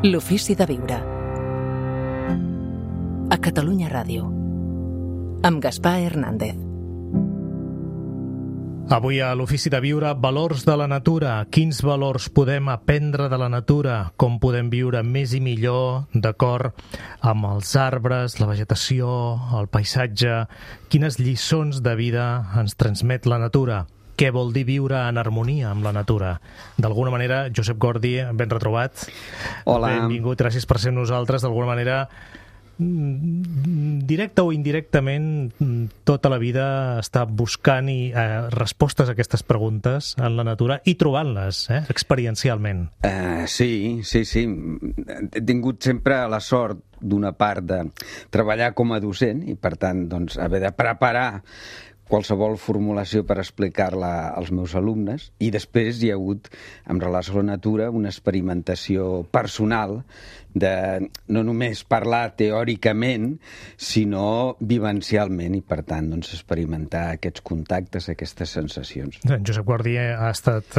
L'ofici de viure. A Catalunya Ràdio. Amb Gaspar Hernández. Avui a l'Ofici de Viure, valors de la natura. Quins valors podem aprendre de la natura? Com podem viure més i millor d'acord amb els arbres, la vegetació, el paisatge? Quines lliçons de vida ens transmet la natura? Què vol dir viure en harmonia amb la natura? D'alguna manera, Josep Gordi, ben retrobat. Hola. Benvingut, gràcies per ser amb nosaltres. D'alguna manera, directe o indirectament, tota la vida està buscant respostes a aquestes preguntes en la natura i trobant-les, experiencialment. Sí. He tingut sempre la sort d'una part de treballar com a docent i, per tant, doncs, haver de preparar qualsevol formulació per explicar-la als meus alumnes, i després hi ha hagut, en relació a la natura, una experimentació personal de no només parlar teòricament, sinó vivencialment, i per tant doncs, experimentar aquests contactes, aquestes sensacions. En Josep Gordi ha estat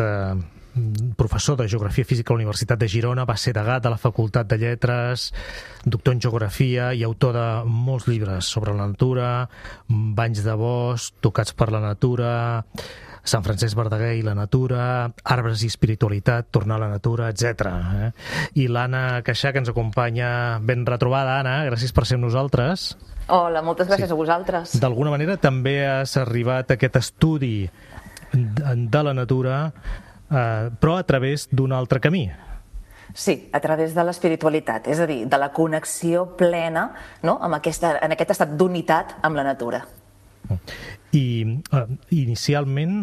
professor de Geografia Física a la Universitat de Girona, va ser degà de la Facultat de Lletres, doctor en Geografia i autor de molts llibres sobre la natura, Banys de bosc, Tocats per la natura, Sant Francesc Verdaguer i la natura, Arbres i espiritualitat, Tornar a la natura, etc. I l'Anna Queixà, que ens acompanya, ben retrobada, Anna, gràcies per ser amb nosaltres. Hola, moltes gràcies a vosaltres. D'alguna manera també has arribat a aquest estudi de la natura, però a través d'un altre camí. Sí, a través de l'espiritualitat, és a dir, de la connexió plena, no?, en aquest estat d'unitat amb la natura. I inicialment,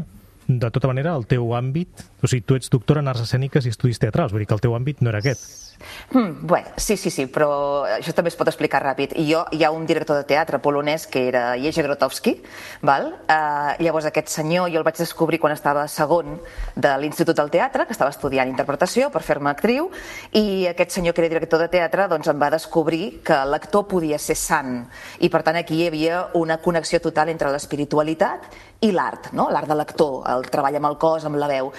de tota manera, el teu àmbit, o sigui, tu ets doctora en arts escèniques i estudis teatrals, vull dir que el teu àmbit no era aquest. Bé, sí, però això també es pot explicar ràpid. Hi ha un director de teatre polonès que era Jerzy Grotowski, val? Llavors aquest senyor jo el vaig descobrir quan estava segon de l'Institut del Teatre, que estava estudiant interpretació per fer-me actriu, i aquest senyor que era director de teatre doncs em va descobrir que l'actor podia ser sant, i per tant aquí hi havia una connexió total entre l'espiritualitat i l'art, no? L'art de l'actor, el treball amb el cos, amb la veu.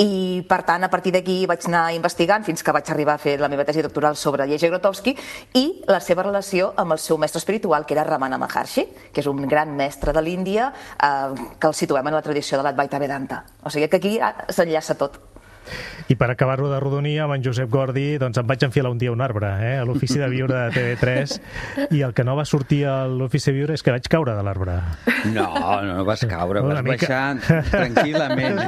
I per tant, a partir d'aquí vaig anar investigant fins que vaig arribar a fer la meva tesi doctoral sobre Jerzy Grotowski i la seva relació amb el seu mestre espiritual, que era Ramana Maharshi, que és un gran mestre de l'Índia que el situem en la tradició de l'Advaita Vedanta. O sigui que aquí s'enllaça tot. I per acabar-ho de rodonir, amb en Josep Gordi, doncs em vaig enfilar un dia a un arbre, a l'Ofici de Viure de TV3, i el que no va sortir a l'Ofici de Viure és que vaig caure de l'arbre. No vas caure, vas baixar tranquil·lament.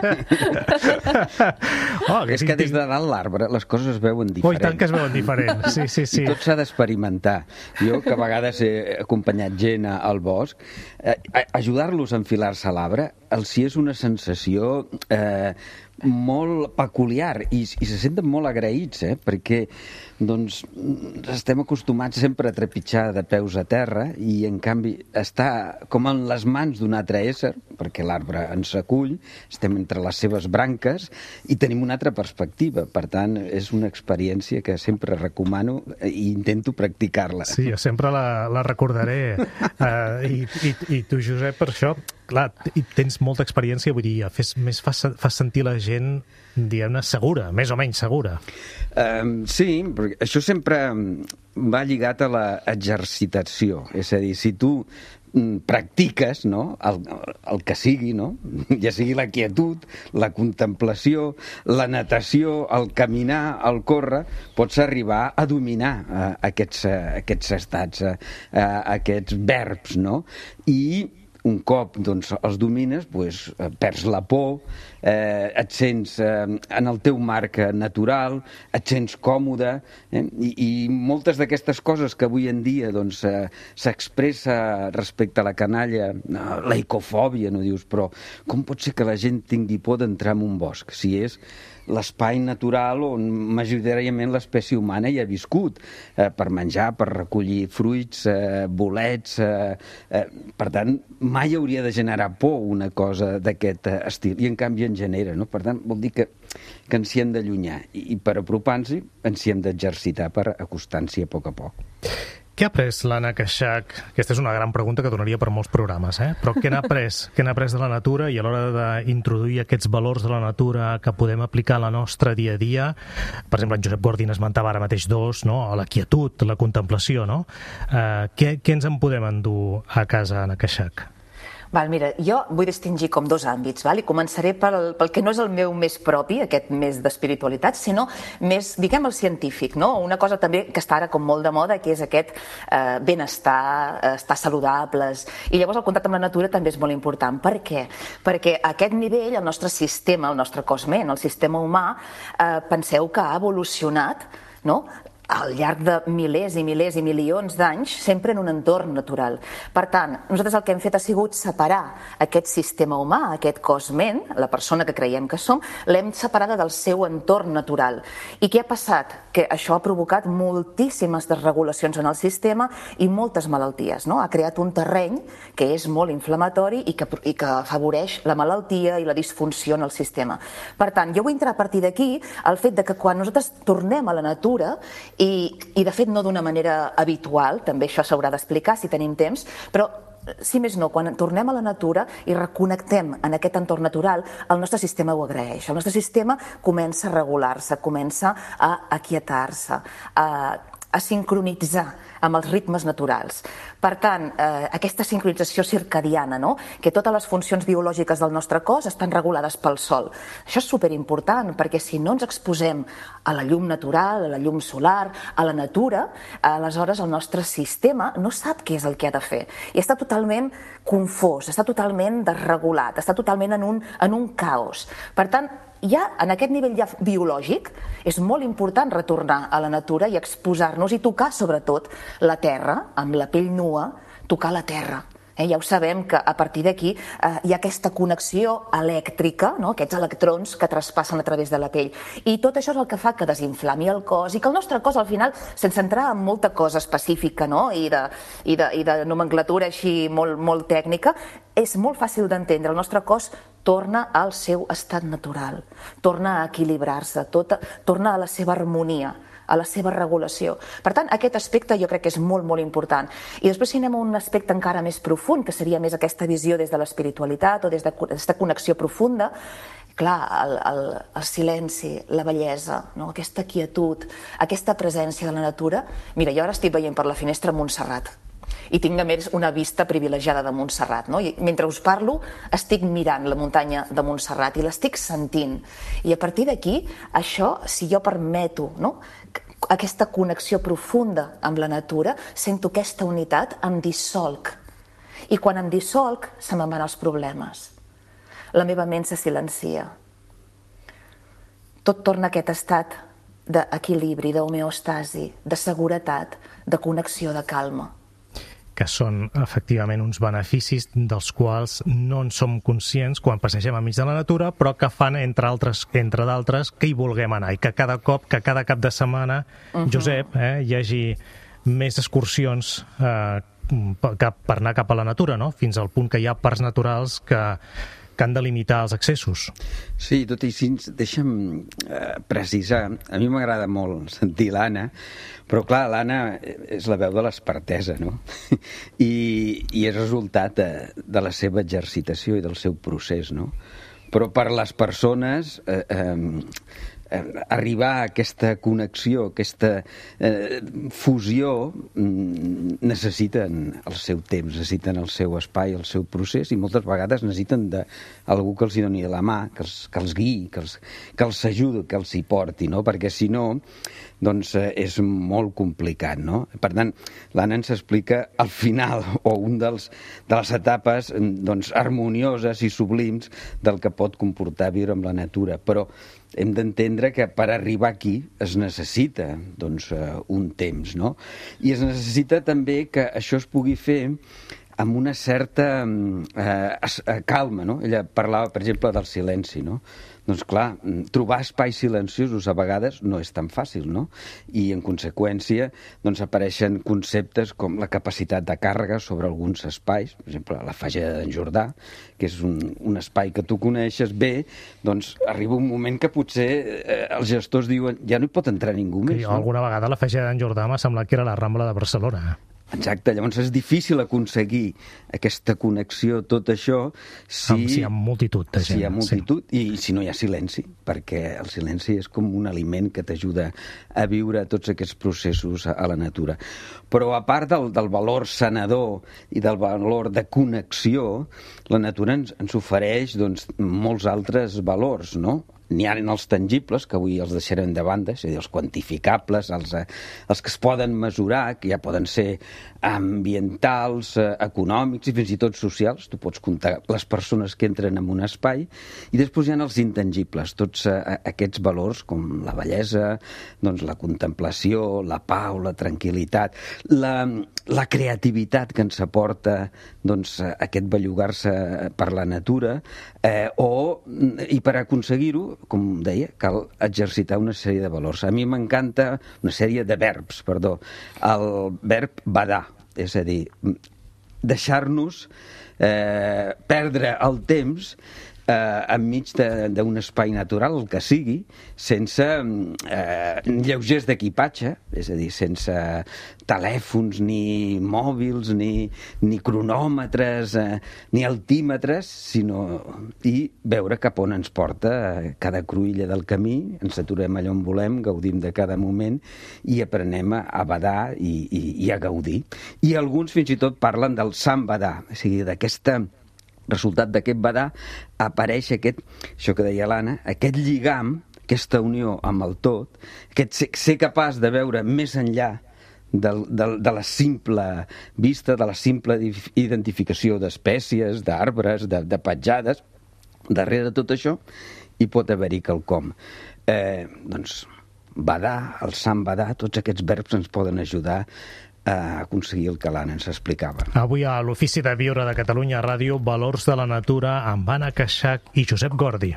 És que des de dalt l'arbre les coses es veuen diferents. I tant que es veuen diferents, sí. I tot s'ha d'experimentar. Jo, que a vegades he acompanyat gent al bosc, ajudar-los a enfilar-se a l'arbre els hi és una sensació molt peculiar i se senten molt agraïts, perquè doncs estem acostumats sempre a trepitjar de peus a terra i en canvi està com en les mans d'un altre ésser, perquè l'arbre ens acull, estem entre les seves branques i tenim una altra perspectiva. Per tant, és una experiència que sempre recomano i intento practicar-la. Sí, jo sempre la recordaré. I tu, Josep, per això, clar, tens molta experiència, vull dir, fas sentir la gent, diguem-ne, segura, més o menys segura. Sí, perquè això sempre va lligat a l'exercitació. És a dir, si tu practiques, no?, el que sigui, no?, ja sigui la quietud, la contemplació, la natació, el caminar, el córrer, pots arribar a dominar aquests estats, aquests verbs, no? I un cop doncs, els domines, doncs, perds la por, et sents en el teu marc natural, et sents còmode, i moltes d'aquestes coses que avui en dia doncs, s'expressa respecte a la canalla, la ecofòbia, no dius, però com pot ser que la gent tingui por d'entrar en un bosc, si és l'espai natural on majoritàriament l'espècie humana hi ha viscut, per menjar, per recollir fruits, bolets, per tant, mai hauria de generar por una cosa d'aquest estil, i en canvi en genera, no? Per tant, vol dir que ens hi hem d'allunyar, i per apropar-nos ens hi hem d'exercitar per acostar-nos-hi a poc. Què ha après l'Anna Queixach? Aquesta és una gran pregunta que donaria per molts programes, però què n'ha après? Què n'ha après de la natura i a l'hora d'introduir aquests valors de la natura que podem aplicar a la nostra dia a dia? Per exemple, en Josep Guardín esmentava ara mateix dos, no? La quietud, la contemplació, no? Què ens en podem endur a casa, Anna Queixach? Mira, jo vull distingir com dos àmbits, i començaré pel que no és el meu més propi, aquest més d'espiritualitat, sinó més, diguem, el científic, no? Una cosa també que està ara com molt de moda, que és aquest benestar, estar saludables, i llavors el contacte amb la natura també és molt important. Per què? Perquè a aquest nivell el nostre sistema, el nostre cos-ment, el sistema humà, penseu que ha evolucionat, no?, al llarg de milers i milers i milions d'anys, sempre en un entorn natural. Per tant, nosaltres el que hem fet ha sigut separar aquest sistema humà, aquest cos-ment, la persona que creiem que som, l'hem separada del seu entorn natural. I què ha passat? Que això ha provocat moltíssimes desregulacions en el sistema i moltes malalties, no? Ha creat un terreny que és molt inflamatori i que afavoreix la malaltia i la disfunció en el sistema. Per tant, jo vull entrar a partir d'aquí el fet de que quan nosaltres tornem a la natura, i de fet no d'una manera habitual, també això s'haurà d'explicar si tenim temps, però si més no, quan tornem a la natura i reconnectem en aquest entorn natural, el nostre sistema ho agraeix. El nostre sistema comença a regular-se, comença a aquietar-se, a sincronitzar amb els ritmes naturals. Per tant, aquesta sincronització circadiana, no?, que totes les funcions biològiques del nostre cos estan regulades pel sol. Això és superimportant, perquè si no ens exposem a la llum natural, a la llum solar, a la natura, aleshores el nostre sistema no sap què és el que ha de fer. I està totalment confós, està totalment desregulat, està totalment en un caos. Per tant, ja en aquest nivell ja biològic és molt important retornar a la natura i exposar-nos i tocar sobretot la terra, amb la pell nua, tocar la terra. Ja ho sabem que a partir d'aquí hi ha aquesta connexió elèctrica, no? Aquests electrons que traspassen a través de la pell. I tot això és el que fa que desinflami el cos i que el nostre cos al final, sense entrar en molta cosa específica, no?, i de nomenclatura així molt tècnica, és molt fàcil d'entendre. El nostre cos torna al seu estat natural, torna a equilibrar-se, torna a la seva harmonia, a la seva regulació. Per tant, aquest aspecte jo crec que és molt, molt important. I després si anem a un aspecte encara més profund, que seria més aquesta visió des de l'espiritualitat o des d'aquesta connexió profunda, clar, el silenci, la bellesa, no?, aquesta quietud, aquesta presència de la natura. Mira, jo ara estic veient per la finestra Montserrat i tinc a més una vista privilegiada de Montserrat, no? I mentre us parlo estic mirant la muntanya de Montserrat i l'estic sentint. I a partir d'aquí, això, si jo permeto, no?, aquesta connexió profunda amb la natura, sento aquesta unitat, em dissolc. I quan em dissolc, se me'n van els problemes. La meva ment se silencia. Tot torna a aquest estat d'equilibri, d'homeostasi, de seguretat, de connexió, de calma. Que són, efectivament, uns beneficis dels quals no en som conscients quan passegem enmig de la natura, però que fan, entre d'altres, que hi vulguem anar i que cada cap de setmana, Josep, hi hagi més excursions per anar cap a la natura, no?, fins al punt que hi ha parcs naturals que han de limitar els accessos. Sí, tot i així, deixa'm precisar. A mi m'agrada molt sentir l'Anna, però clar, l'Anna és la veu de l'expertesa, no? I és resultat de la seva exercitació i del seu procés, no? Però per les persones arribar a aquesta connexió, aquesta fusió, necessiten el seu temps, necessiten el seu espai, el seu procés, i moltes vegades necessiten d'algú que els hi doni la mà, que els guiï, que els ajudi, que els hi porti, no? Perquè si no, doncs és molt complicat, no? Per tant, l'Anna ens explica al final, o de les etapes doncs, harmonioses i sublims del que pot comportar viure amb la natura, però hem d'entendre que per arribar aquí es necessita doncs, un temps, no? I es necessita també que això es pugui fer amb una certa calma, no? Ella parlava, per exemple, del silenci, no? doncs clar, trobar espais silenciosos a vegades no és tan fàcil, no? I en conseqüència doncs apareixen conceptes com la capacitat de càrrega sobre alguns espais, per exemple la Fageda d'en Jordà, que és un espai que tu coneixes bé, doncs arriba un moment que potser els gestors diuen ja no hi pot entrar ningú més. Jo alguna vegada la Fageda d'en Jordà m'ha semblat que era la Rambla de Barcelona. Exacte, llavors és difícil aconseguir aquesta connexió, tot això, si hi ha multitud de gent. Si hi ha multitud i si no hi ha silenci, perquè el silenci és com un aliment que t'ajuda a viure tots aquests processos a la natura. Però a part del valor sanador i del valor de connexió, la natura ens ofereix doncs, molts altres valors, no? N'hi ha els tangibles, que avui els deixarem de banda, és a dir, els quantificables, els que es poden mesurar, que ja poden ser ambientals, econòmics i fins i tot socials. Tu pots comptar les persones que entren en un espai. I després hi ha els intangibles, tots aquests valors com la bellesa, doncs la contemplació, la pau, la tranquil·litat, la creativitat que ens aporta doncs, aquest bellugar-se per la natura, i per aconseguir-ho, com deia, cal exercitar una sèrie de valors. A mi m'encanta una sèrie de verbs, perdó. El verb badar, és a dir, deixar-nos perdre el temps enmig d'un espai natural, el que sigui, sense lleugers d'equipatge, és a dir, sense telèfons, ni mòbils, ni cronòmetres, ni altímetres, i veure cap on ens porta cada cruïlla del camí, ens aturem allà on volem, gaudim de cada moment i aprenem a badar i a gaudir. I alguns fins i tot parlen del sant badar, o sigui, d'aquesta resultat d'aquest badar apareix això que deia l'Anna, aquest lligam, aquesta unió amb el tot, aquest ser capaç de veure més enllà de la simple vista, de la simple identificació d'espècies, d'arbres, de petjades. Darrere de tot això hi pot haver-hi quelcom. Doncs badar, el sant badar, tots aquests verbs ens poden ajudar a aconseguir el que l'Anna ens explicava. Avui a l'Ofici de Viure de Catalunya Ràdio, Valors de la Natura, amb Anna Queixach i Josep Gordi.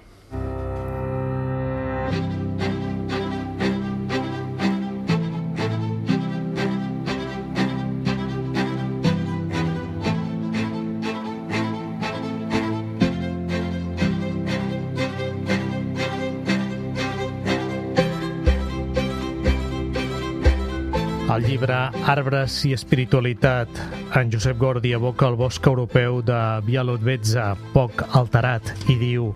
Al llibre Arbres i espiritualitat, en Josep Gordi evoca el bosc europeu de Białowieża, poc alterat, i diu: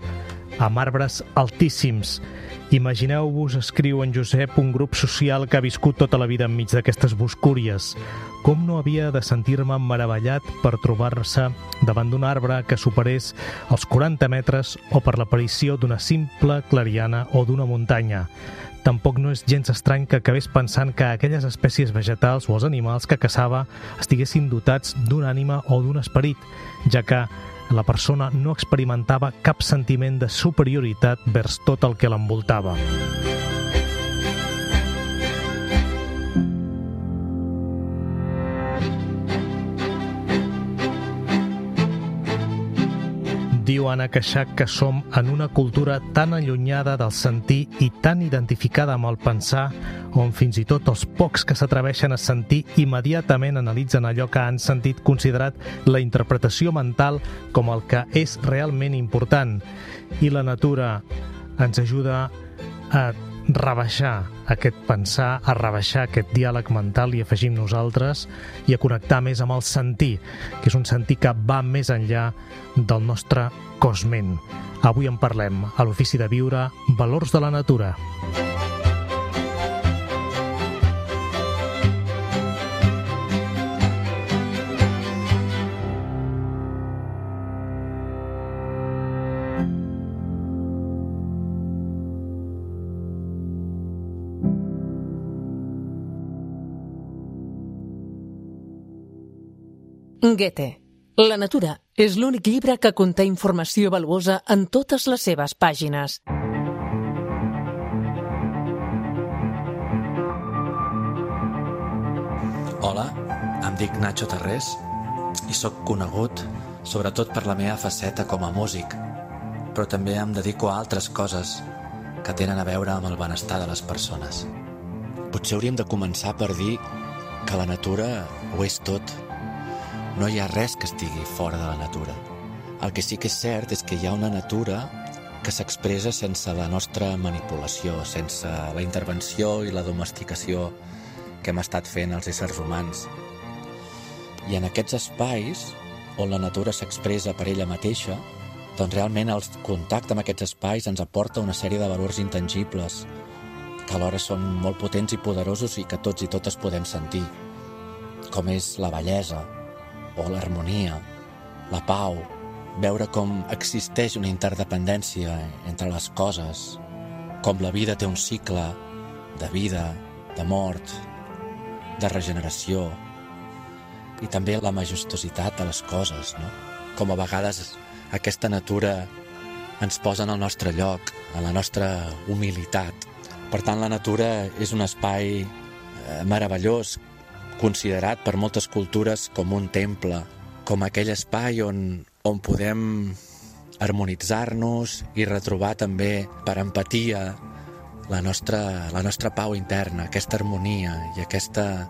amb arbres altíssims. Imagineu-vos, escriu en Josep, un grup social que ha viscut tota la vida enmig d'aquestes boscúries. Com no havia de sentir-me meravellat per trobar-se davant d'un arbre que superés els 40 metres o per l'aparició d'una simple clariana o d'una muntanya. Tampoc no és gens estrany que acabés pensant que aquelles espècies vegetals o els animals que caçava estiguessin dotats d'una ànima o d'un esperit, ja que la persona no experimentava cap sentiment de superioritat vers tot el que l'envoltava. Diu Anna Queixach que som en una cultura tan allunyada del sentir i tan identificada amb el pensar, on fins i tot els pocs que s'atreveixen a sentir immediatament analitzen allò que han sentit, considerat la interpretació mental com el que és realment important. I la natura ens ajuda a rebaixar aquest pensar, a rebaixar aquest diàleg mental, i afegim nosaltres, i a connectar més amb el sentir, que és un sentir que va més enllà del nostre cosment. Avui en parlem a l'Ofici de Viure, Valors de la Natura. Goethe. La natura és l'únic llibre que conté informació valuosa en totes les seves pàgines. Hola, em dic Nacho Tarrés i sóc conegut sobretot per la meva faceta com a músic. però també em dedico a altres coses que tenen a veure amb el benestar de les persones. Potser hauríem de començar per dir que la natura ho és tot. No hi ha res que estigui fora de la natura. El que sí que és cert és que hi ha una natura que s'expressa sense la nostra manipulació, sense la intervenció i la domesticació que hem estat fent els éssers humans. I en aquests espais on la natura s'expressa per ella mateixa, doncs realment el contacte amb aquests espais ens aporta una sèrie de valors intangibles que alhora són molt potents i poderosos i que tots i totes podem sentir, com és la bellesa o l'harmonia, la pau, veure com existeix una interdependència entre les coses, com la vida té un cicle de vida, de mort, de regeneració, i també la majestuositat de les coses, no? Com a vegades aquesta natura ens posa en el nostre lloc, en la nostra humilitat. Per tant, la natura és un espai meravellós, considerat per moltes cultures com un temple, com aquell espai on podem harmonitzar-nos i retrobar també per empatia la nostra pau interna, aquesta harmonia i aquesta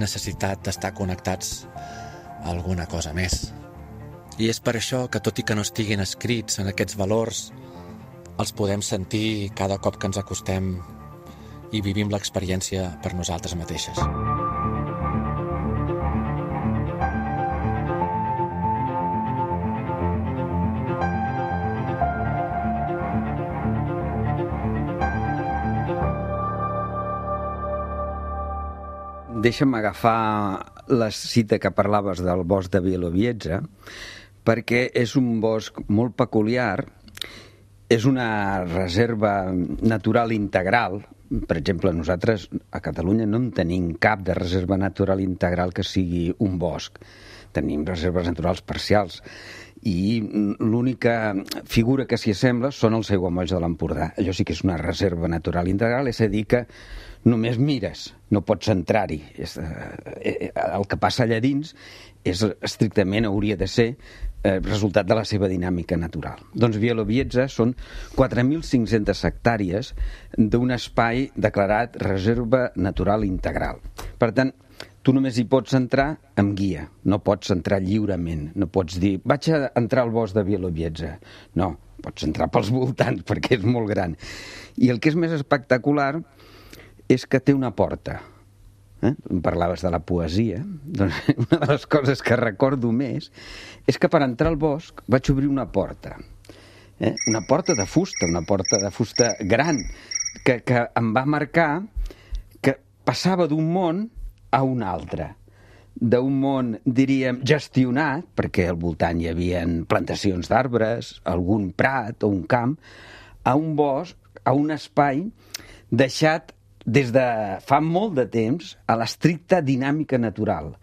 necessitat d'estar connectats a alguna cosa més. I és per això que, tot i que no estiguin escrits en aquests valors, els podem sentir cada cop que ens acostem i vivim l'experiència per nosaltres mateixes. Deixa'm agafar la cita que parlaves del bosc de Bielowieza, perquè és un bosc molt peculiar, és una reserva natural integral. Per exemple, nosaltres a Catalunya no en tenim cap de reserva natural integral que sigui un bosc. Tenim reserves naturals parcials i l'única figura que s'hi assembla són els aiguamolls de l'Empordà. Allò sí que és una reserva natural integral, és a dir que només mires, no pots entrar-hi. El que passa allà dins és estrictament, hauria de ser, resultat de la seva dinàmica natural. Doncs Bielowieza són 4.500 hectàrees d'un espai declarat reserva natural integral. Per tant, tu només hi pots entrar amb guia, no pots entrar lliurement, no pots dir, vaig a entrar al bosc de Bielowieza. No, pots entrar pels voltants perquè és molt gran. I el que és més espectacular és que té una porta. Em parlaves de la poesia. Doncs una de les coses que recordo més és que per entrar al bosc vaig obrir una porta. Una porta de fusta gran, que em va marcar que passava d'un món a un altre. D'un món, diríem, gestionat, perquè al voltant hi havia plantacions d'arbres, algun prat o un camp, a un bosc, a un espai deixat des de fa molt de temps a l'estricta dinàmica natural.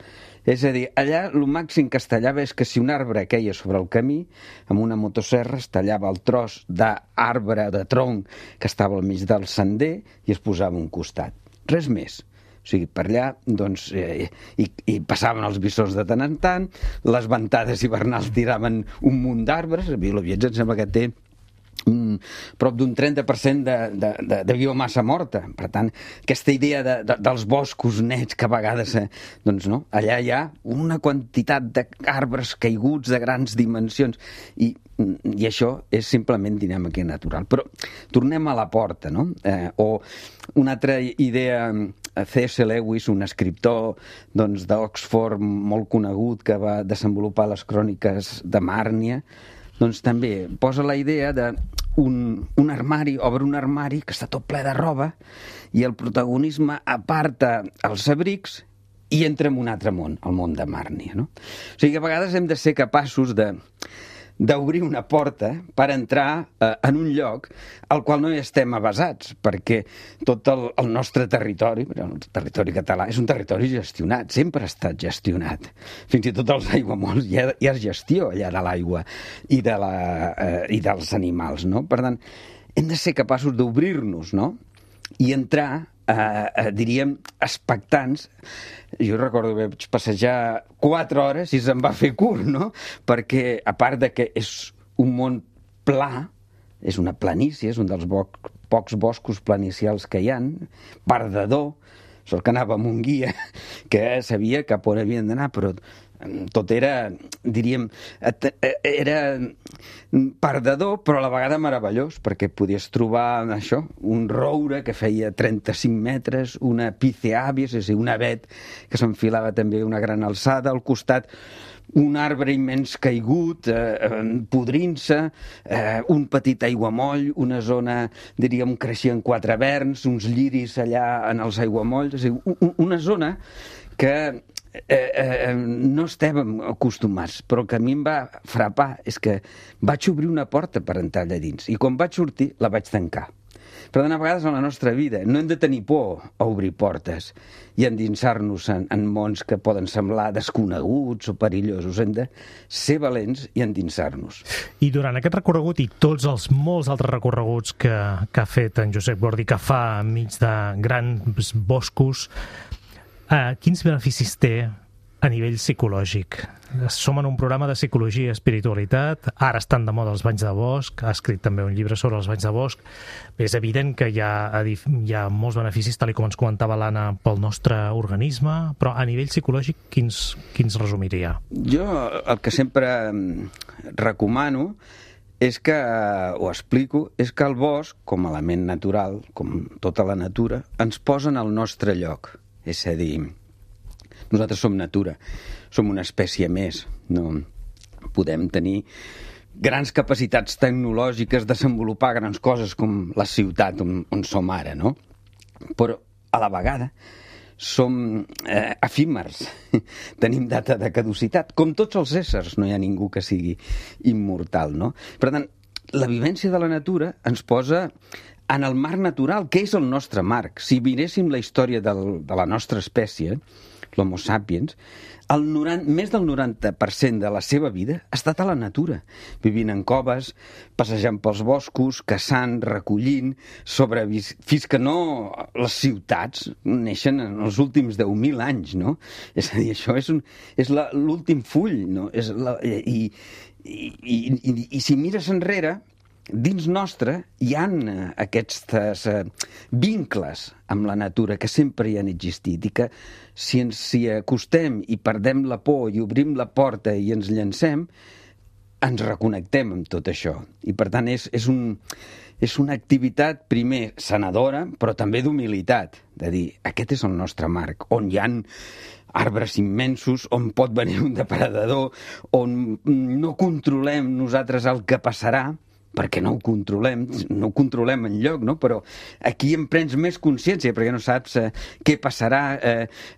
És a dir, allà el màxim que es tallava és que si un arbre queia sobre el camí, amb una motosserra es tallava el tros d'arbre, de tronc, que estava al mig del sender i es posava a un costat. Res més. O sigui, per allà, doncs, i passaven els bisons de tant en tant, les ventades hivernals tiraven un munt d'arbres. A Bielowieza em sembla que té prop d'un 30% de biomassa morta. Per tant, aquesta idea dels boscos nets que a vegades, doncs no, allà hi ha una quantitat d'arbres caiguts de grans dimensions i això és simplement dinàmica natural. Però tornem a la porta, no? O una altra idea, C.S. Lewis, un escriptor d'Oxford molt conegut que va desenvolupar les cròniques de Màrnia, doncs també posa la idea d'un armari, obre un armari que està tot ple de roba i el protagonisme aparta els abrics i entra en un altre món, el món de Màrnia, no? O sigui que a vegades hem de ser capaços d'obrir una porta per entrar en un lloc al qual no hi estem avasats, perquè tot el nostre territori, el territori català, és un territori gestionat, sempre ha estat gestionat. Fins i tot els aiguamolls hi ha gestió allà de l'aigua i dels animals, no? Per tant, hem de ser capaços d'obrir-nos, no? I entrar, diríem, expectants. Jo recordo que vaig passejar 4 hores i se'm va fer curt, no? Perquè, a part de que és un món pla, és una planícia, és un dels pocs boscos planicials que hi ha, perdedor, sort que anava amb un guia que sabia cap on havien d'anar, però tot era, diríem, era perdedor, però a la vegada meravellós, perquè podies trobar això, un roure que feia 35 metres, una piceàvies, és a dir, un avet que s'enfilava també a una gran alçada, al costat un arbre immens caigut, podrint-se, un petit aiguamoll, una zona, diríem, creixien 4 verns, uns lliris allà en els aiguamolls, és a dir, una zona que no estàvem acostumats, però que a mi em va frapar és que vaig obrir una porta per entrar allà dins i quan vaig sortir la vaig tancar. Per tant, a vegades en la nostra vida no hem de tenir por a obrir portes i endinsar-nos en mons que poden semblar desconeguts o perillosos. Hem de ser valents i endinsar-nos. I durant aquest recorregut i tots els molts altres recorreguts que ha fet en Josep Gordi, que fa enmig de grans boscos, quins beneficis té a nivell psicològic? Som en un programa de psicologia i espiritualitat, ara estan de moda els banys de bosc, ha escrit també un llibre sobre els banys de bosc. És evident que hi ha molts beneficis, tal com ens comentava l'Anna, pel nostre organisme, però a nivell psicològic quins resumiria? Jo el que sempre recomano és que, o explico, és que el bosc, com a element natural, com tota la natura, ens posa en el nostre lloc. És a dir, nosaltres som natura, som una espècie més, no podem tenir grans capacitats tecnològiques, desenvolupar grans coses com la ciutat on som ara, no? Però a la vegada som efímers, tenim data de caducitat, com tots els éssers, no hi ha ningú que sigui immortal, no? Per tant, la vivència de la natura ens posa en el marc natural, que és el nostre marc. Si miréssim la història de la nostra espècie, l'Homo sapiens, més del 90% de la seva vida ha estat a la natura, vivint en coves, passejant pels boscos, caçant, recollint, fins que no les ciutats neixen en els últims 10.000 anys, no? És a dir, això és l'últim full, no? I si mires enrere, dins nostre hi ha aquests vincles amb la natura que sempre hi han existit i que si ens hi acostem i perdem la por i obrim la porta i ens llancem, ens reconnectem amb tot això. I per tant és una activitat primer sanadora però també d'humilitat, de dir aquest és el nostre marc, on hi ha arbres immensos, on pot venir un depredador, on no controlem nosaltres el que passarà, perquè no ho controlem enlloc, no? Però aquí en prens més consciència, perquè no saps què passarà,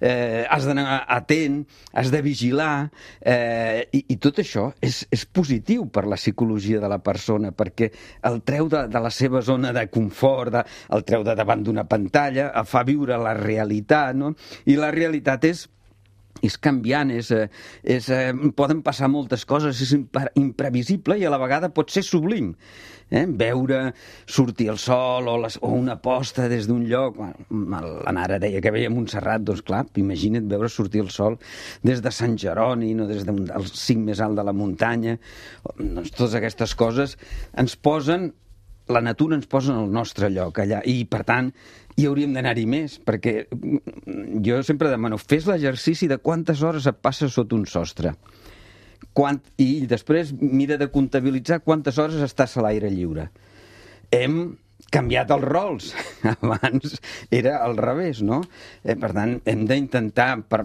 has d'anar atent, has de vigilar, i tot això és positiu per la psicologia de la persona, perquè el treu de la seva zona de confort, el treu de davant d'una pantalla, el fa viure la realitat, no? I la realitat és canviant, poden passar moltes coses, és imprevisible i a la vegada pot ser sublim. Veure sortir el sol o una posta des d'un lloc. L'Anara deia que veia Montserrat, doncs clar, imagina't veure sortir el sol des de Sant Jeroni, no des del cim més alt de la muntanya. Doncs totes aquestes coses ens posen, la natura ens posa en el nostre lloc allà i per tant hi hauríem d'anar-hi més, perquè jo sempre demano, fes l'exercici de quantes hores et passes sota un sostre i després mira de comptabilitzar quantes hores estàs a l'aire lliure. Hem canviat els rols, abans era al revés, no? Per tant, hem d'intentar, per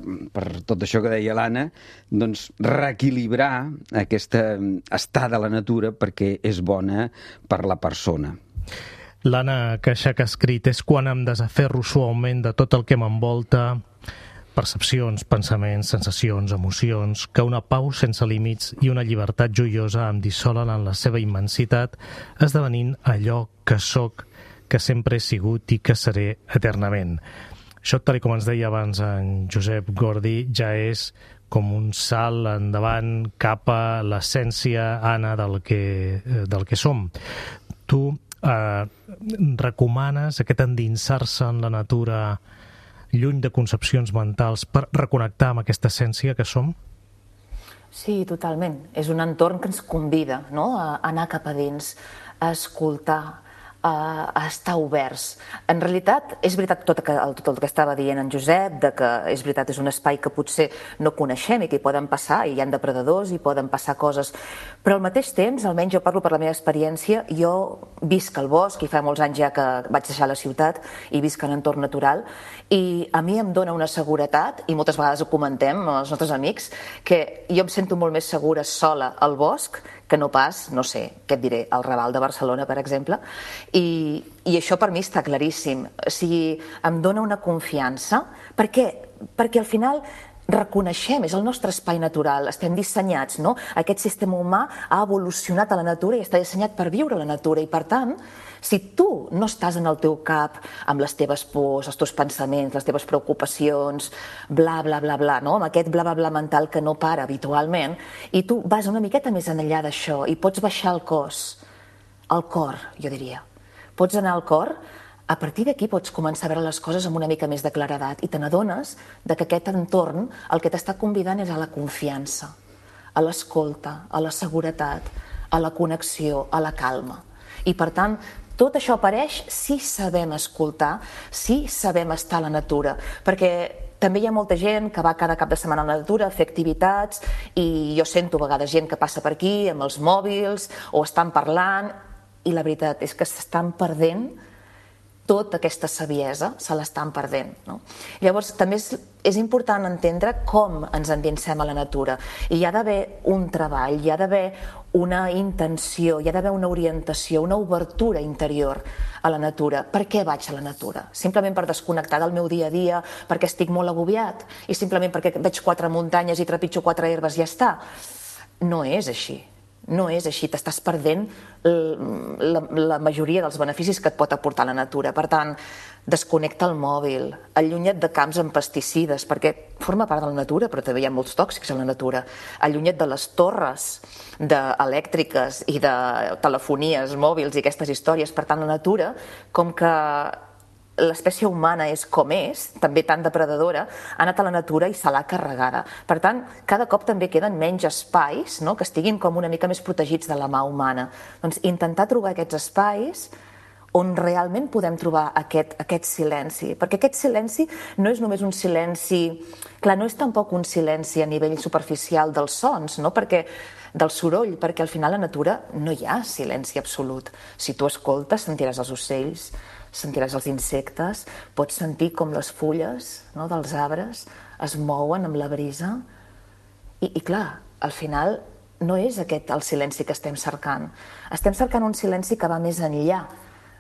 tot això que deia l'Anna, doncs reequilibrar aquesta estada a la natura perquè és bona per la persona. L'Anna Queixac ha escrit: és quan em desaferro suaument de tot el que m'envolta, percepcions, pensaments, sensacions, emocions, que una pau sense límits i una llibertat joiosa em dissolen en la seva immensitat, esdevenint allò que sóc, que sempre he sigut i que seré eternament. Això, tal com ens deia abans en Josep Gordi, ja és com un salt endavant cap a l'essència, Anna, del que som. Tu recomanes aquest endinsar-se en la natura lluny de concepcions mentals per reconnectar amb aquesta essència que som? Sí, totalment. És un entorn que ens convida, no?, a anar cap a dins, a escoltar, a estar oberts. En realitat, és veritat tot el que estava dient en Josep, de que és veritat, és un espai que potser no coneixem i que hi poden passar, i hi ha depredadors, i poden passar coses, però al mateix temps, almenys jo parlo per la meva experiència, jo visc al bosc, i fa molts anys ja que vaig deixar la ciutat, i visc en entorn natural, i a mi em dona una seguretat, i moltes vegades ho comentem amb els nostres amics, que jo em sento molt més segura sola al bosc que no pas, no sé, què et diré, al Raval de Barcelona, per exemple, i això per mi està claríssim. O sigui, em dona una confiança, perquè al final reconeixem, és el nostre espai natural, estem dissenyats, no? Aquest sistema humà ha evolucionat a la natura i està dissenyat per viure a la natura, i per tant, si tu no estàs en el teu cap amb les teves pors, els teus pensaments, les teves preocupacions, bla, bla, bla, bla, no?, amb aquest bla, bla, bla mental que no para habitualment, i tu vas una miqueta més enllà d'això i pots baixar el cos, el cor, jo diria. Pots anar al cor, a partir d'aquí pots començar a veure les coses amb una mica més de claredat i te n'adones que aquest entorn el que t'està convidant és a la confiança, a l'escolta, a la seguretat, a la connexió, a la calma. I per tant, tot això apareix si sabem escoltar, si sabem estar a la natura, perquè també hi ha molta gent que va cada cap de setmana a la natura a fer activitats, i jo sento a vegades gent que passa per aquí amb els mòbils o estan parlant, i la veritat és que s'estan perdent tota aquesta saviesa, se l'estan perdent, no? Llavors, també és important entendre com ens endinsem a la natura. I hi ha d'haver un treball, hi ha d'haver una intenció, hi ha d'haver una orientació, una obertura interior a la natura. Per què vaig a la natura? Simplement per desconnectar del meu dia a dia, perquè estic molt agobiat, i simplement perquè veig 4 muntanyes i trepitjo 4 herbes i ja està? No és així. No és així, t'estàs perdent la majoria dels beneficis que et pot aportar la natura. Per tant, desconnecta el mòbil, allunya't de camps amb pesticides, perquè forma part de la natura, però també hi ha molts tòxics a la natura. Allunya't de les torres elèctriques i de telefonies mòbils i aquestes històries. Per tant, la natura, com que l'espècie humana és com és, també tan depredadora, ha anat a la natura i se l'ha carregada. Per tant, cada cop també queden menys espais, no?, que estiguin com una mica més protegits de la mà humana. Doncs intentar trobar aquests espais on realment podem trobar aquest silenci, perquè aquest silenci no és només un silenci, clar, no és tampoc un silenci a nivell superficial dels sons, no?, perquè del soroll, perquè al final a la natura no hi ha silenci absolut. Si tu escoltes, sentiràs els ocells, sentiràs els insectes, pots sentir com les fulles, no?, dels arbres es mouen amb la brisa, i clar, al final no és aquest el silenci que estem cercant. Estem cercant un silenci que va més enllà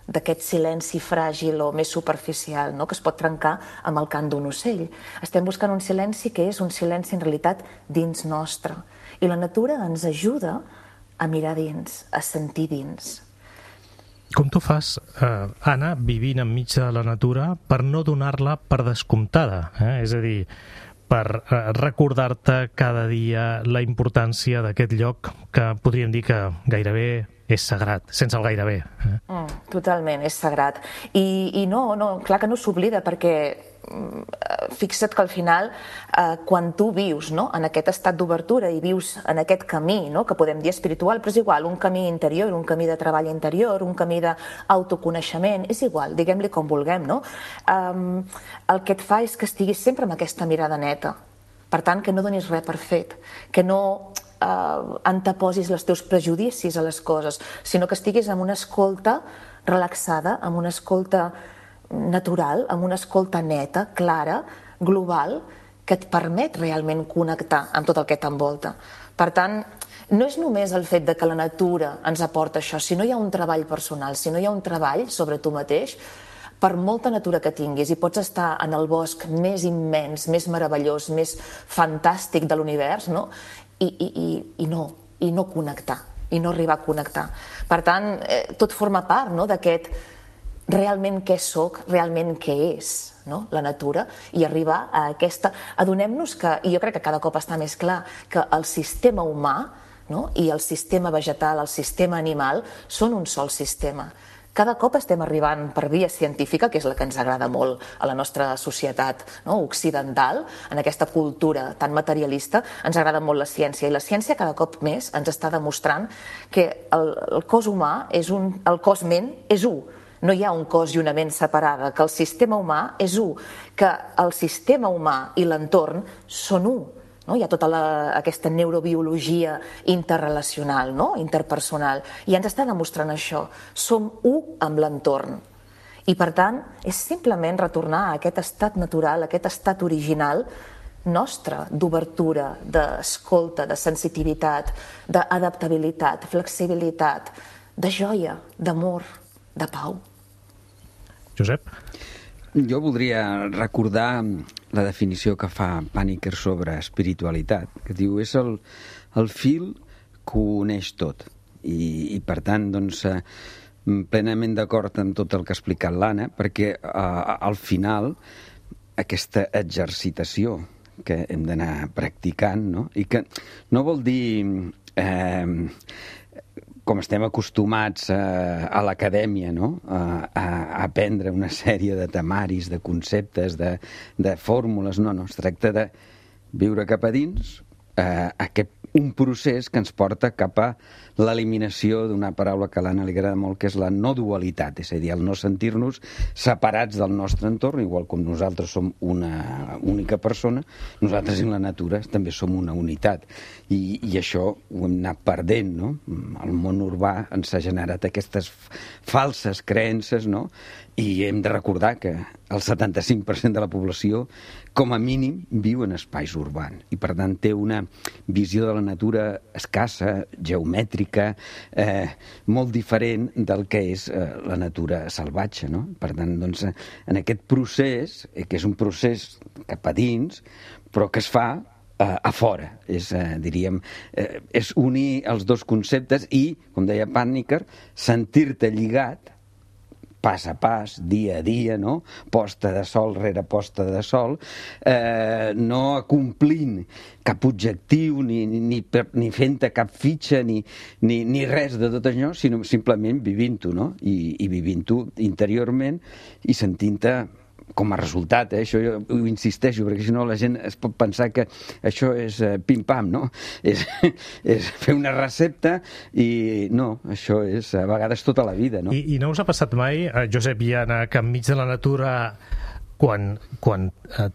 d'aquest silenci fràgil o més superficial, no?, que es pot trencar amb el cant d'un ocell. Estem buscant un silenci que és un silenci en realitat dins nostre, i la natura ens ajuda a mirar dins, a sentir dins. Com tu fas, Anna, vivint enmig de la natura, per no donar-la per descomptada? És a dir, per recordar-te cada dia la importància d'aquest lloc que podríem dir que gairebé és sagrat, sense el gairebé. Totalment, és sagrat. I no, clar que no s'oblida, perquè fixa't que al final, quan tu vius, no?, en aquest estat d'obertura i vius en aquest camí, no?, que podem dir espiritual, però és igual, un camí interior, un camí de treball interior, un camí d'autoconeixement, és igual, diguem-li com vulguem, no? El que et fa és que estiguis sempre amb aquesta mirada neta. Per tant, que no donis res per fet, que no anteposis els teus prejudicis a les coses, sinó que estiguis amb una escolta relaxada, amb una escolta natural, amb una escolta neta, clara, global, que et permet realment connectar amb tot el que t'envolta. Per tant, no és només el fet de que la natura ens aporta això, si no hi ha un treball personal, si no hi ha un treball sobre tu mateix, per molta natura que tinguis, i pots estar en el bosc més immens, més meravellós, més fantàstic de l'univers, no?, i no connectar, i no arribar a connectar. Per tant, tot forma part, no?, d'aquest realment què soc, realment què és, no?, la natura, i arribar a aquesta... Adonem-nos que, i jo crec que cada cop està més clar, que el sistema humà, no?, i el sistema vegetal, el sistema animal, són un sol sistema, Cada cop estem arribant per via científica, que és la que ens agrada molt a la nostra societat occidental, en aquesta cultura tan materialista, ens agrada molt la ciència, i la ciència cada cop més ens està demostrant que el cos humà, el cos-ment és un. No hi ha un cos i una ment separada, que el sistema humà és un, que el sistema humà i l'entorn són un. Hi ha tota aquesta neurobiologia interrelacional, interpersonal, i ens està demostrant això. Som un amb l'entorn. I per tant, és simplement retornar a aquest estat natural, a aquest estat original nostre, d'obertura, d'escolta, de sensitivitat, d'adaptabilitat, flexibilitat, de joia, d'amor, de pau. Josep? Jo voldria recordar la definició que fa Paniker sobre espiritualitat, que diu és el fil que ho uneix tot. I per tant, doncs, plenament d'acord amb tot el que ha explicat l'Anna, perquè al final aquesta exercitació que hem d'anar practicant, no? I que no vol dir com estem acostumats a l'acadèmia, no? A aprendre una sèrie de temaris, de conceptes, de fórmules. No, es tracta de viure cap a dins un procés que ens porta cap a l'eliminació d'una paraula que a l'Anna li agrada molt, que és la no dualitat, és a dir, el no sentir-nos separats del nostre entorn, igual com nosaltres som una única persona, nosaltres i la natura també som una unitat. I això ho hem anat perdent, no? El món urbà ens ha generat aquestes falses creences, no? I hem de recordar que el 75% de la població, com a mínim, viu en espais urbans. I, per tant, té una visió de la natura escassa, geomètrica, molt diferent del que és la natura salvatge, no? Per tant, doncs, en aquest procés, que és un procés cap a dins, però que es fa a fora, diríem, és unir els dos conceptes i, com deia Paniker, sentir-te lligat pas a pas, dia a dia, no? Posta de sol rere posta de sol, no acomplint cap objectiu, ni fent-te cap fitxa, ni res de tot això, sinó simplement vivint-ho, no? I vivint-ho interiorment i sentint-te com a resultat, això jo ho insisteixo, perquè si no la gent es pot pensar que això és pim-pam, no? És fer una recepta i no, això és a vegades tota la vida, no? I no us ha passat mai, Josep i Anna, que enmig de la natura, quan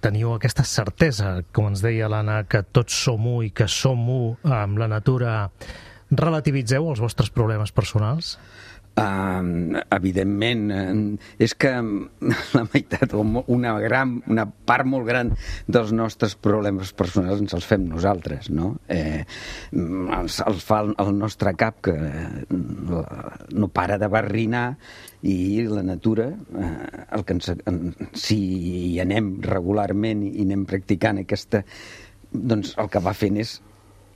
teniu aquesta certesa, com ens deia l'Anna, que tots som u i que som u amb la natura, relativitzeu els vostres problemes personals? Evidentment, és que la meitat o una part molt gran dels nostres problemes personals ens els fem nosaltres, no? Els fa el nostre cap, que no para de barrinar, i la natura, si hi anem regularment i anem practicant aquesta, doncs el que va fent és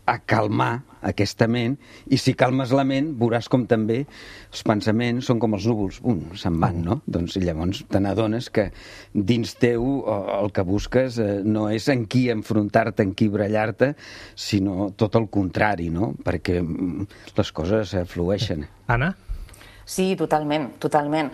a calmar aquesta ment, i si calmes la ment veuràs com també els pensaments són com els núvols, se'n van, no? Doncs llavors te n'adones que dins teu el que busques no és en qui enfrontar-te, en qui brallar-te, sinó tot el contrari, no? Perquè les coses flueixen. Anna? Sí, totalment, totalment.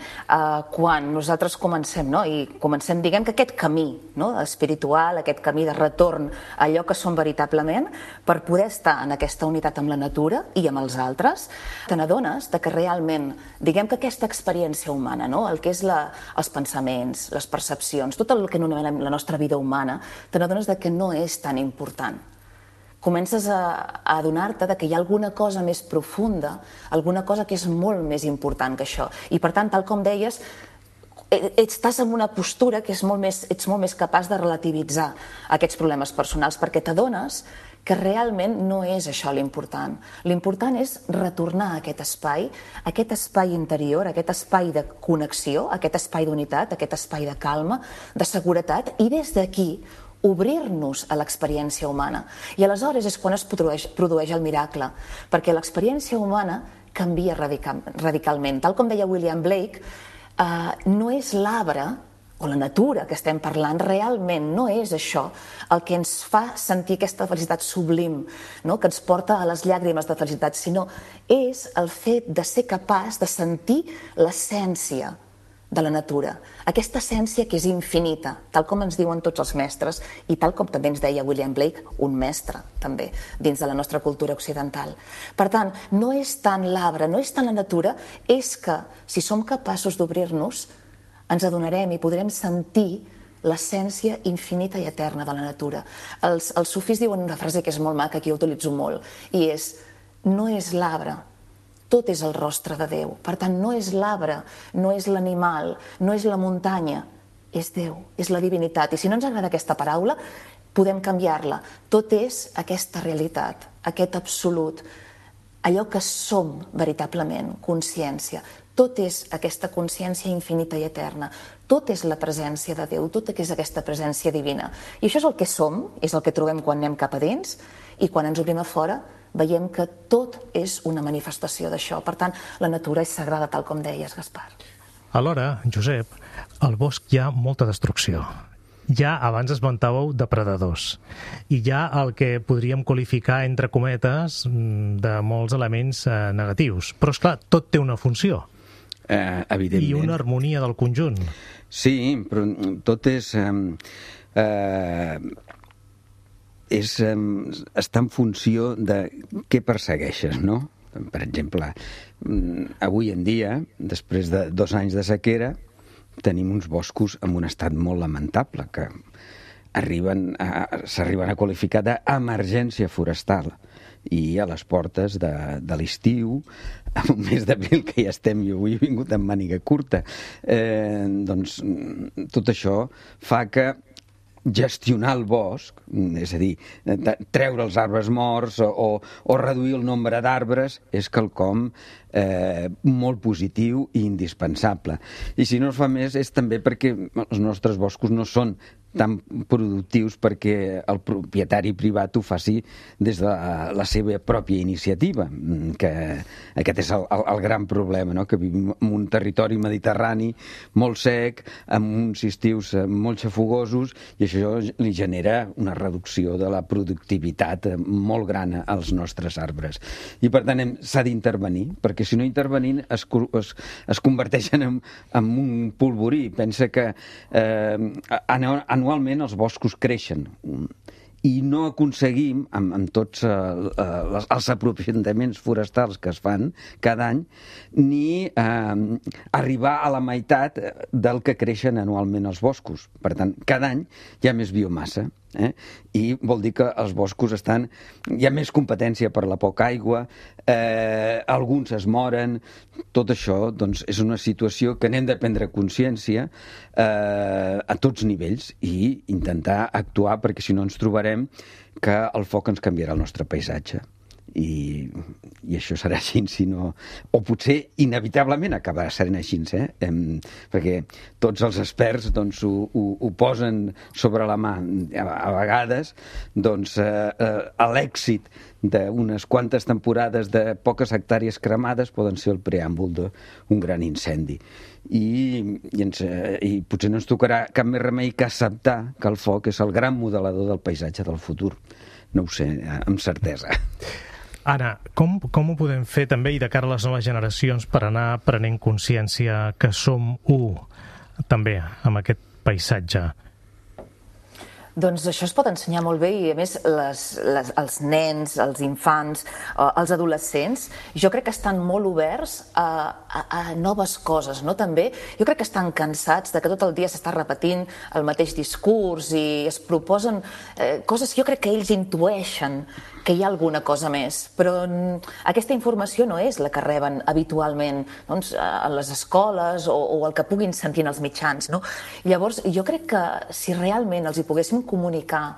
Quan nosaltres comencem, i comencem, diguem que aquest camí espiritual, aquest camí de retorn a allò que som veritablement, per poder estar en aquesta unitat amb la natura i amb els altres, te n'adones que realment, diguem que aquesta experiència humana, el que és els pensaments, les percepcions, tot el que anomenem la nostra vida humana, te n'adones que no és tan important. Comences a adonar-te que hi ha alguna cosa més profunda, alguna cosa que és molt més important que això. I per tant, tal com deies, estàs en una postura que ets molt més capaç de relativitzar aquests problemes personals, perquè t'adones que realment no és això l'important. L'important és retornar a aquest espai interior, aquest espai de connexió, aquest espai d'unitat, aquest espai de calma, de seguretat, i des d'aquí obrir-nos a l'experiència humana. I aleshores és quan es produeix el miracle, perquè l'experiència humana canvia radicalment. Tal com deia William Blake, no és l'arbre o la natura que estem parlant, realment no és això el que ens fa sentir aquesta felicitat sublim, no? Que ens porta a les llàgrimes de felicitat, sinó és el fet de ser capaç de sentir l'essència de la natura, aquesta essència que és infinita, tal com ens diuen tots els mestres i tal com també ens deia William Blake, un mestre també, dins de la nostra cultura occidental. Per tant, no és tant l'arbre, no és tant la natura, és que si som capaços d'obrir-nos, ens adonarem i podrem sentir l'essència infinita i eterna de la natura. Els sufís diuen una frase que és molt maca, que jo utilitzo molt, i és: no és l'arbre, tot és el rostre de Déu. Per tant, no és l'arbre, no és l'animal, no és la muntanya, és Déu, és la divinitat. I si no ens agrada aquesta paraula, podem canviar-la. Tot és aquesta realitat, aquest absolut, allò que som veritablement, consciència. Tot és aquesta consciència infinita i eterna. Tot és la presència de Déu, tot és aquesta presència divina. I això és el que som, és el que trobem quan anem cap a dins, i quan ens obrim a fora veiem que tot és una manifestació d'això. Per tant, la natura és sagrada, tal com deies, Gaspar. Alhora, Josep, al bosc hi ha molta destrucció. Ja abans esmentàveu depredadors. I hi ha el que podríem qualificar, entre cometes, de molts elements negatius. Però, esclar, tot té una funció. Evidentment. I una harmonia del conjunt. Sí, però tot és... està en funció de què persegueixes, no? Per exemple, avui en dia, després de 2 anys de sequera, tenim uns boscos en un estat molt lamentable, que s'arriben a qualificar d'emergència forestal. I a les portes de l'estiu, en un mes d'abril que ja estem, jo avui he vingut amb màniga curta, doncs tot això fa que gestionar el bosc, és a dir, treure els arbres morts o reduir el nombre d'arbres, és quelcom molt positiu i indispensable. I si no es fa més és també perquè els nostres boscos no són tan productius perquè el propietari privat ho faci des de la seva pròpia iniciativa, que aquest és el gran problema, no? Que vivim en un territori mediterrani molt sec, amb uns estius molt xafogosos, i això li genera una reducció de la productivitat molt gran als nostres arbres. I per tant s'ha d'intervenir, perquè si no intervenint es converteixen en un polvorí. Pensa que anualment els boscos creixen i no aconseguim, amb tots els aprofitaments forestals que es fan cada any, ni arribar a la meitat del que creixen anualment els boscos. Per tant, cada any hi ha més biomassa. I vol dir que els boscos hi ha més competència per la poca aigua, alguns es moren. Tot això doncs, és una situació que n'hem de prendre consciència a tots nivells i intentar actuar, perquè si no ens trobarem que el foc ens canviarà el nostre paisatge. I això serà així, si no... O potser inevitablement acabarà sent així, perquè tots els experts doncs, ho posen sobre la mà. A vegades doncs, l'èxit d'unes quantes temporades de poques hectàrees cremades poden ser el preàmbul d'un gran incendi. I potser no ens tocarà cap més remei que acceptar que el foc és el gran modelador del paisatge del futur. No ho sé, amb certesa. Anna, com ho podem fer també i de cara a les noves generacions per anar prenent consciència que som també amb aquest paisatge? Doncs això es pot ensenyar molt bé i, a més, els nens, els infants, els adolescents, jo crec que estan molt oberts a noves coses, no? També jo crec que estan cansats de que tot el dia s'està repetint el mateix discurs i es proposen coses que jo crec que ells intueixen que hi ha alguna cosa més, però aquesta informació no és la que reben habitualment a les escoles o el que puguin sentir en els mitjans. Llavors, jo crec que si realment els hi poguéssim comunicar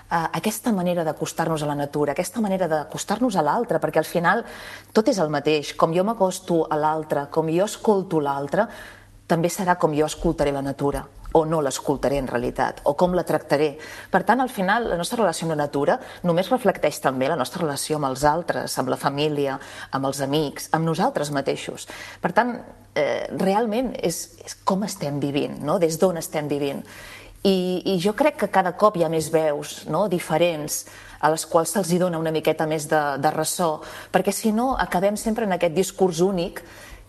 aquesta manera d'acostar-nos a la natura, aquesta manera d'acostar-nos a l'altre, perquè al final tot és el mateix. Com jo m'acosto a l'altre, com jo escolto l'altre, també serà com jo escoltaré la natura. o no l'escoltaré en realitat, o com la tractaré. Per tant, al final, la nostra relació amb la natura només reflecteix també la nostra relació amb els altres, amb la família, amb els amics, amb nosaltres mateixos. Per tant, realment és com estem vivint, no? Des d'on estem vivint. I jo crec que cada cop hi ha més veus, no? Diferents, a les quals se'ls dona una miqueta més de ressò, perquè si no acabem sempre en aquest discurs únic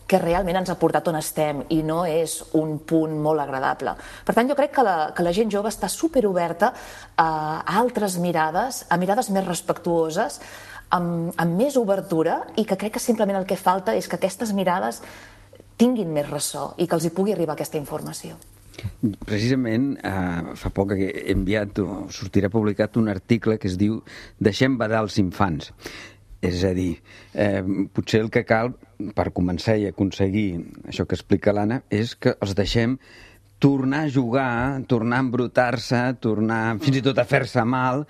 que realment ens ha portat on estem i no és un punt molt agradable. Per tant, jo crec que la gent jove està superoberta a altres mirades, a mirades més respectuoses, amb més obertura, i que crec que simplement el que falta és que aquestes mirades tinguin més ressò i que els hi pugui arribar aquesta informació. Precisament, fa poc he enviat, o sortirà publicat un article que es diu "Deixem badar els infants". És a dir, potser el que cal per començar i aconseguir això que explica l'Anna és que els deixem tornar a jugar, tornar a embrutar-se, tornar fins i tot a fer-se mal,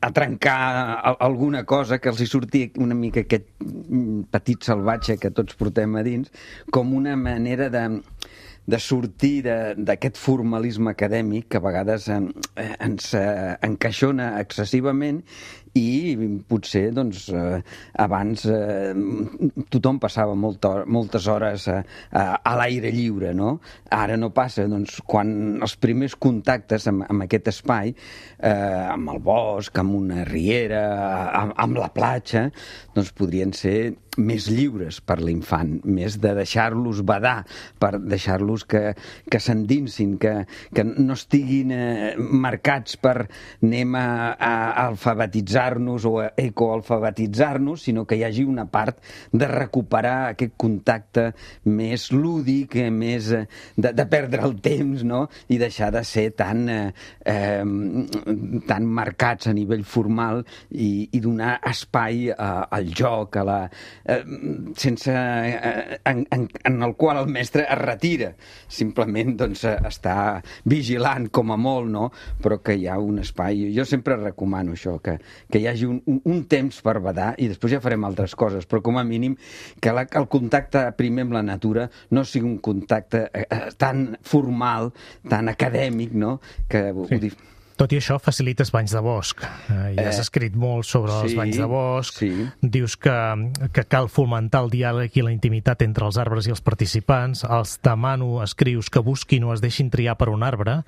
a trencar alguna cosa, que els hi surti una mica aquest petit salvatge que tots portem a dins, com una manera de sortir d'aquest formalisme acadèmic que a vegades ens encaixona excessivament, i potser doncs, abans tothom passava moltes hores a l'aire lliure, no? Ara no passa. Doncs, quan els primers contactes amb aquest espai, amb el bosc, amb una riera, amb la platja, doncs podrien ser més lliures per l'infant, més de deixar-los badar, per deixar-los que s'endinsin, que no estiguin marcats per anem a alfabetitzar-nos o a ecoalfabetitzar-nos, sinó que hi hagi una part de recuperar aquest contacte més lúdic, més de perdre el temps, no? I deixar de ser tan marcats a nivell formal i donar espai al joc, sense en el qual el mestre es retira, simplement doncs està vigilant com a molt, no? Però que hi ha un espai. Jo sempre recomano això, que hi hagi un temps per badar, i després ja farem altres coses, però com a mínim que el contacte primer amb la natura no sigui un contacte tan formal, tan acadèmic, no? Que sí. Tot i això, facilites banys de bosc. Ja has escrit molt sobre els banys de bosc. Sí. Dius que cal fomentar el diàleg i la intimitat entre els arbres i els participants. Els demano, escrius, que busquin o es deixin triar per un arbre.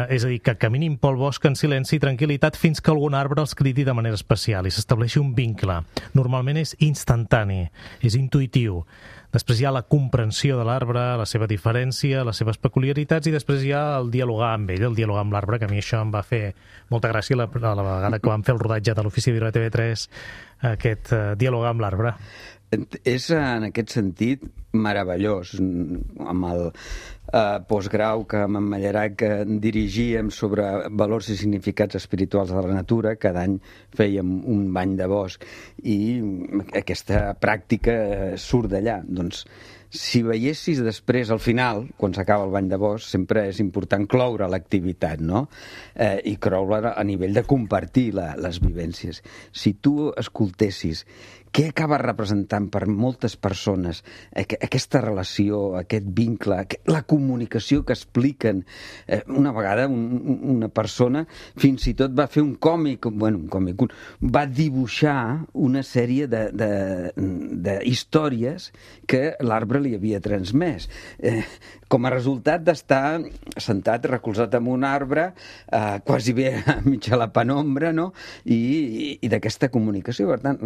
És a dir, que caminin pel bosc en silenci i tranquil·litat fins que algun arbre els cridi de manera especial i s'estableixi un vincle. Normalment és instantani, és intuïtiu. Després hi ha la comprensió de l'arbre, la seva diferència, les seves peculiaritats, i després hi ha el dialogar amb ell, el dialogar amb l'arbre, que a mi això em va fer molta gràcia la vegada que vam fer el rodatge de l'Ofici de Viure TV3, aquest dialogar amb l'arbre. És, en aquest sentit, meravellós. Amb el postgrau que amb en Mallerac dirigíem sobre valors i significats espirituals de la natura, cada any fèiem un bany de bosc, i aquesta pràctica surt d'allà. Doncs, si veiessis després, al final, quan s'acaba el bany de bosc, sempre és important cloure l'activitat, no? I cloure a nivell de compartir les vivències. Si tu escoltessis què acaba representant per moltes persones aquesta relació, aquest vincle, la comunicació que expliquen. Una vegada una persona fins i tot va fer un còmic, va dibuixar una sèrie d'històries que l'arbre li havia transmès. Com a resultat d'estar sentat, recolzat en un arbre, quasi bé mig a la penombra, no? I d'aquesta comunicació. Per tant,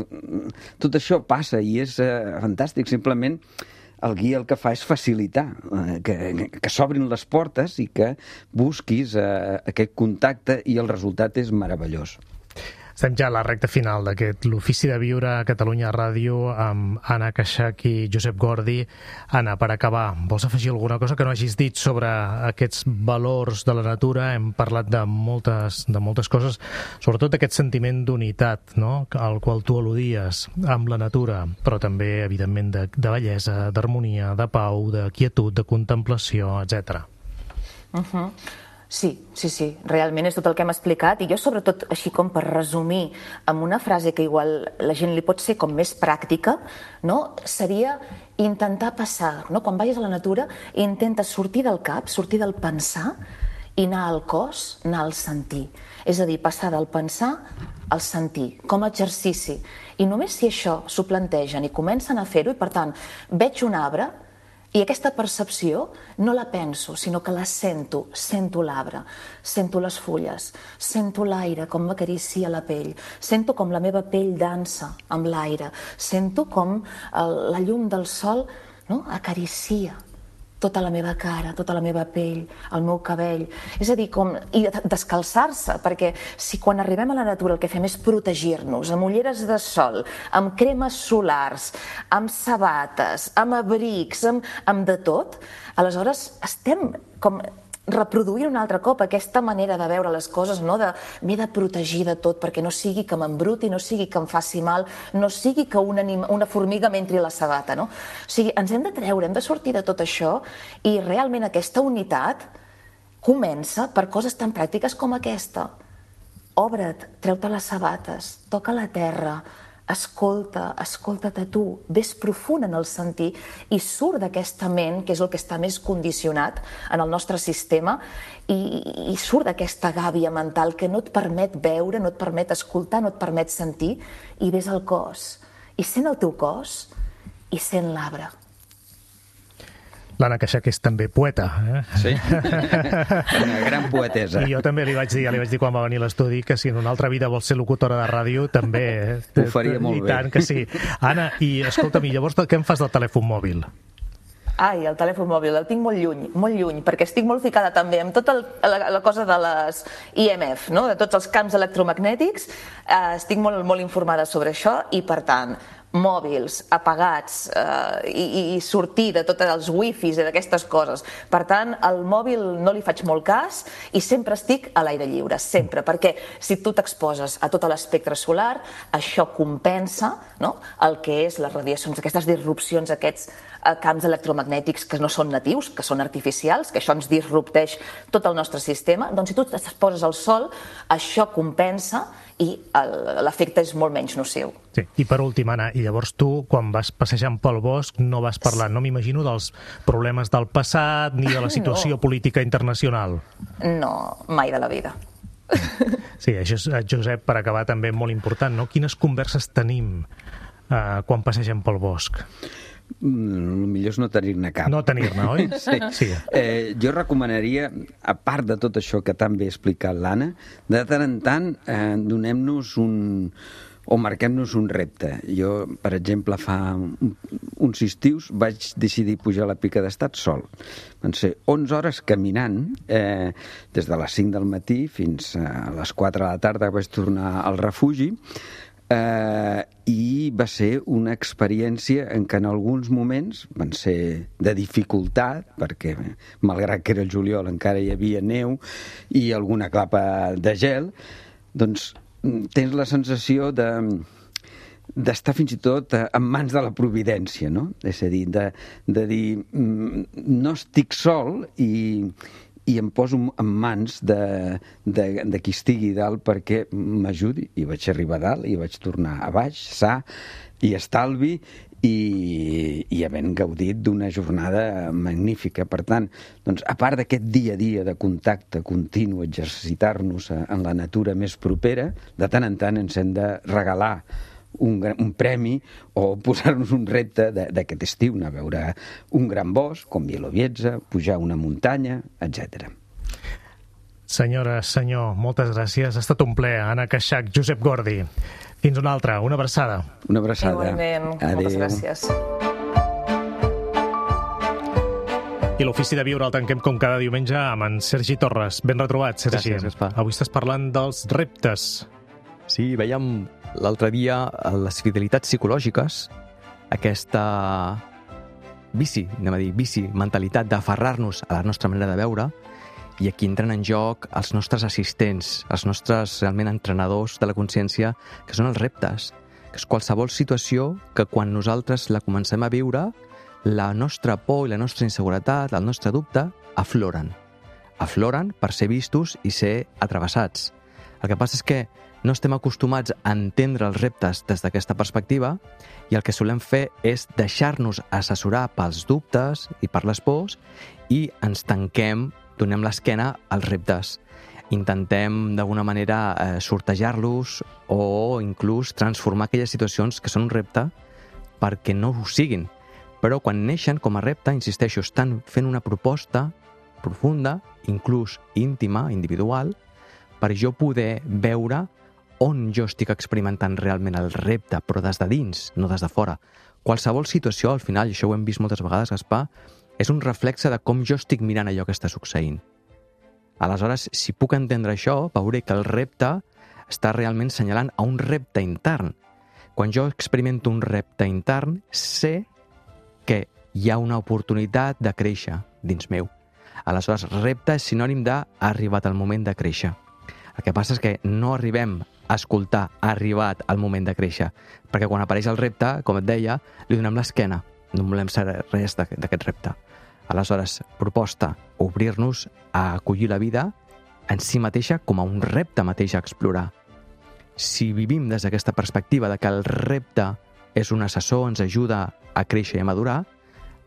tot això passa i és fantàstic. Simplement el guia el que fa és facilitar que s'obrin les portes i que busquis aquest contacte, i el resultat és meravellós. Estem ja a la recta final d'aquest l'Ofici de Viure a Catalunya Ràdio amb Anna Keixach i Josep Gordi. Anna, per acabar, vols afegir alguna cosa que no hagis dit sobre aquests valors de la natura? Hem parlat de moltes coses, sobretot aquest sentiment d'unitat, no?, al qual tu al·ludies amb la natura, però també, evidentment, de bellesa, d'harmonia, de pau, de quietud, de contemplació, etc. Sí, realment és tot el que hem explicat, i jo sobretot, així com per resumir amb una frase que igual la gent li pot ser com més pràctica, no? Seria intentar passar, no? Quan vagis a la natura, intenta sortir del cap, sortir del pensar i anar al cos, anar al sentir. És a dir, passar del pensar al sentir, com a exercici. I només si això s'ho plantegen i comencen a fer-ho, i per tant, veig un arbre, i aquesta percepció no la penso, sinó que la sento. Sento l'arbre, sento les fulles, sento l'aire com m'acaricia la pell, sento com la meva pell dansa amb l'aire, sento com la llum del sol, no? Acaricia tota la meva cara, tota la meva pell, el meu cabell. És a dir, i descalçar-se, perquè si quan arribem a la natura el que fem és protegir-nos amb ulleres de sol, amb cremes solars, amb sabates, amb abrics, amb de tot, aleshores estem com reproduint un altre cop aquesta manera de veure les coses, no? M'he de protegir de tot perquè no sigui que m'embruti, no sigui que em faci mal, no sigui que una formiga m'entri a la sabata, no? O sigui, ens hem de treure, hem de sortir de tot això, i realment aquesta unitat comença per coses tan pràctiques com aquesta. Obre't, treu-te les sabates, toca la terra, escolta't a tu, ves profund en el sentir i surt d'aquesta ment, que és el que està més condicionat en el nostre sistema, i surt d'aquesta gàbia mental que no et permet veure, no et permet escoltar, no et permet sentir, i ves al cos. I sent el teu cos i sent l'arbre. L'Anna Queixac és també poeta. Sí, una gran poetesa. I jo també li vaig dir quan va venir a l'estudi que si en una altra vida vols ser locutora de ràdio, també. Ho faria molt bé. I tant que sí. Anna, i escolta'm, llavors què em fas del telèfon mòbil? Ai, el telèfon mòbil, el tinc molt lluny, perquè estic molt ficada també amb tota la cosa de les IMF, no? De tots els camps electromagnètics, estic molt informada sobre això, i per tant, mòbils apagats i sortir de tots els wifis i d'aquestes coses. Per tant, al mòbil no li faig molt cas i sempre estic a l'aire lliure, sempre, perquè si tu t'exposes a tot l'espectre solar, això compensa, no? El que és les radiacions, aquestes disrupcions, aquests camps electromagnètics que no són natius, que són artificials, que això ens disrupteix tot el nostre sistema. Doncs si tu t'exposes al sol, això compensa i l'efecte és molt menys nociu. Sí. I per últim, Anna, i llavors tu, quan vas passejant pel bosc, no vas parlant, no m'imagino, dels problemes del passat ni de la situació política internacional. No, mai de la vida. Sí, això és, Josep, per acabar també molt important, no? Quines converses tenim quan passegem pel bosc? El millor és no tenir-ne cap. No tenir-ne, oi? Sí. Jo recomanaria, a part de tot això que tan bé ha explicat l'Anna, de tant en tant donem-nos o marquem-nos un repte. Jo, per exemple, fa uns estius vaig decidir pujar a la Pica d'Estat sol. Van ser 11 hores caminant, des de les 5 del matí fins a les 4 de la tarda vaig tornar al refugi, i va ser una experiència en què en alguns moments van ser de dificultat, perquè malgrat que era el juliol encara hi havia neu i alguna clapa de gel, doncs tens la sensació d'estar fins i tot en mans de la providència, no? És a dir, de dir no estic sol i em poso en mans de qui estigui dalt perquè m'ajudi. I vaig arribar a dalt i vaig tornar a baix, sa i estalvi, i havent gaudit d'una jornada magnífica. Per tant, doncs, a part d'aquest dia a dia de contacte continu, exercitar-nos en la natura més propera, de tant en tant ens hem de regalar un premi o posar-nos un repte d'aquest estiu, anar a veure un gran bosc, com Bielowieza, pujar una muntanya, etc. Senyora, senyor, moltes gràcies. Ha estat un plaer. Anna Queixac, Josep Gordi. Fins una altra. Una abraçada. Una abraçada. Igualment. Adéu. Moltes gràcies. I l'Ofici de Viure el tanquem com cada diumenge amb en Sergi Torres. Ben retrobat, Sergi. Gràcies, Gaspar. Avui estàs parlant dels reptes. Sí, veiem l'altre dia les fidelitats psicològiques, aquesta vici mentalitat d'aferrar-nos a la nostra manera de veure, i aquí entren en joc els nostres assistents, els nostres realment entrenadors de la consciència, que són els reptes, que és qualsevol situació que quan nosaltres la comencem a viure, la nostra por i la nostra inseguretat, el nostre dubte, afloren. afloren per ser vistos i ser atravessats. El que passa és que no estem acostumats a entendre els reptes des d'aquesta perspectiva i el que solem fer és deixar-nos assessorar pels dubtes i per les pors i ens tanquem, donem l'esquena als reptes. Intentem d'alguna manera sortejar-los o inclús transformar aquelles situacions que són un repte perquè no ho siguin. Però quan neixen com a repte, insisteixo, estan fent una proposta profunda, inclús íntima, individual, per jo poder veure on jo estic experimentant realment el repte, però des de dins, no des de fora. Qualsevol situació, al final, i això ho hem vist moltes vegades, Gaspar, és un reflexe de com jo estic mirant allò que està succeint. Aleshores, si puc entendre això, veuré que el repte està realment assenyalant a un repte intern. Quan jo experimento un repte intern, sé que hi ha una oportunitat de créixer dins meu. Aleshores, repte és sinònim de ha arribat el moment de créixer. El que passa és que no arribem a escoltar ha arribat el moment de créixer, perquè quan apareix el repte, com et deia, li donem l'esquena. No volem saber res d'aquest repte. Aleshores, proposta, obrir-nos a acollir la vida en si mateixa com a un repte mateix a explorar. Si vivim des d'aquesta perspectiva de que el repte és un assessor, ens ajuda a créixer i a madurar,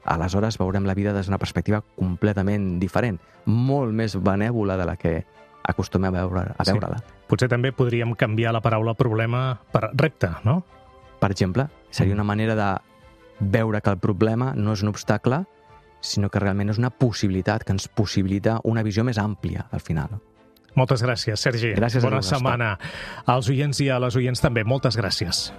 aleshores veurem la vida des d'una perspectiva completament diferent, molt més benèvola de la que acostumem a veure-la. Sí. Potser també podríem canviar la paraula problema per repte, no? Per exemple, seria una manera de veure que el problema no és un obstacle, sinó que realment és una possibilitat que ens possibilita una visió més àmplia, al final. Moltes gràcies, Sergi. Gràcies. Bona setmana als oients i a les oients també. Moltes gràcies.